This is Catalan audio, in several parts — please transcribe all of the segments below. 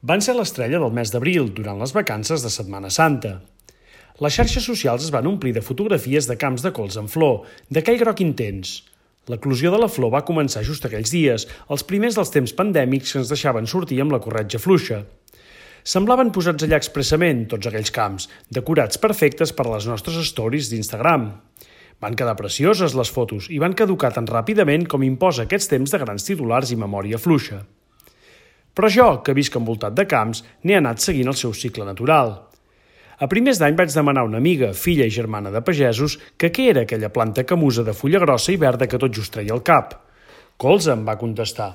van ser l'estrella del mes d'abril durant les vacances de Setmana Santa. Les xarxes socials es van omplir de fotografies de camps de cols en flor, d'aquell groc intens. L'eclosió de la flor va començar just aquells dies, els primers dels temps pandèmics que ens deixaven sortir amb la corretja fluixa. Semblaven posats allà expressament, tots aquells camps, decorats perfectes per a les nostres stories d'Instagram. Van quedar precioses les fotos i van caducar tan ràpidament com imposa aquests temps de grans titulars i memòria fluixa. Però jo, que visc envoltat de camps, n'he anat seguint el seu cicle natural. A primers d'any vaig demanar a una amiga, filla i germana de pagesos, que què era aquella planta camusa de fulla grossa i verda que tot just treia al cap. Colza, em va contestar.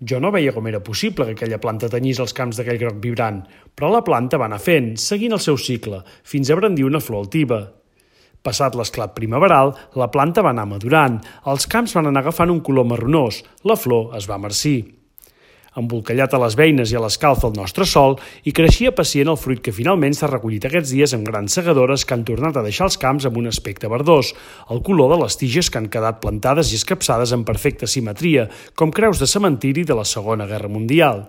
Jo no veia com era possible que aquella planta tenyís els camps d'aquell groc vibrant, però la planta va anar fent, seguint el seu cicle, fins a brandir una flor altiva. Passat l'esclat primaveral, la planta va anar madurant, els camps van anar agafant un color marronós, la flor es va marcir. Embolcallat a les beines i a l'escalf del nostre sol, i creixia pacient el fruit que finalment s'ha recollit aquests dies amb grans segadores que han tornat a deixar els camps amb un aspecte verdós, el color de les tiges que han quedat plantades i escapçades en perfecta simetria, com creus de cementiri de la Segona Guerra Mundial.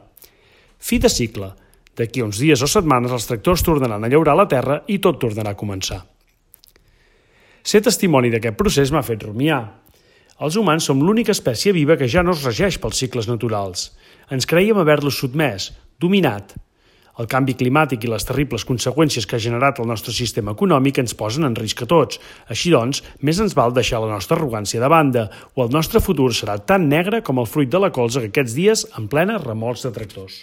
Fi de cicle. D'aquí a uns dies o setmanes els tractors tornaran a llaurar la terra i tot tornarà a començar. Ser testimoni d'aquest procés m'ha fet rumiar. Els humans som l'única espècie viva que ja no es regeix pels cicles naturals. Ens creiem haver-los sotmès, dominat. El canvi climàtic i les terribles conseqüències que ha generat el nostre sistema econòmic ens posen en risc a tots. Així doncs, més ens val deixar la nostra arrogància de banda, o el nostre futur serà tan negre com el fruit de la colza que aquests dies en plena remolcs de tractors.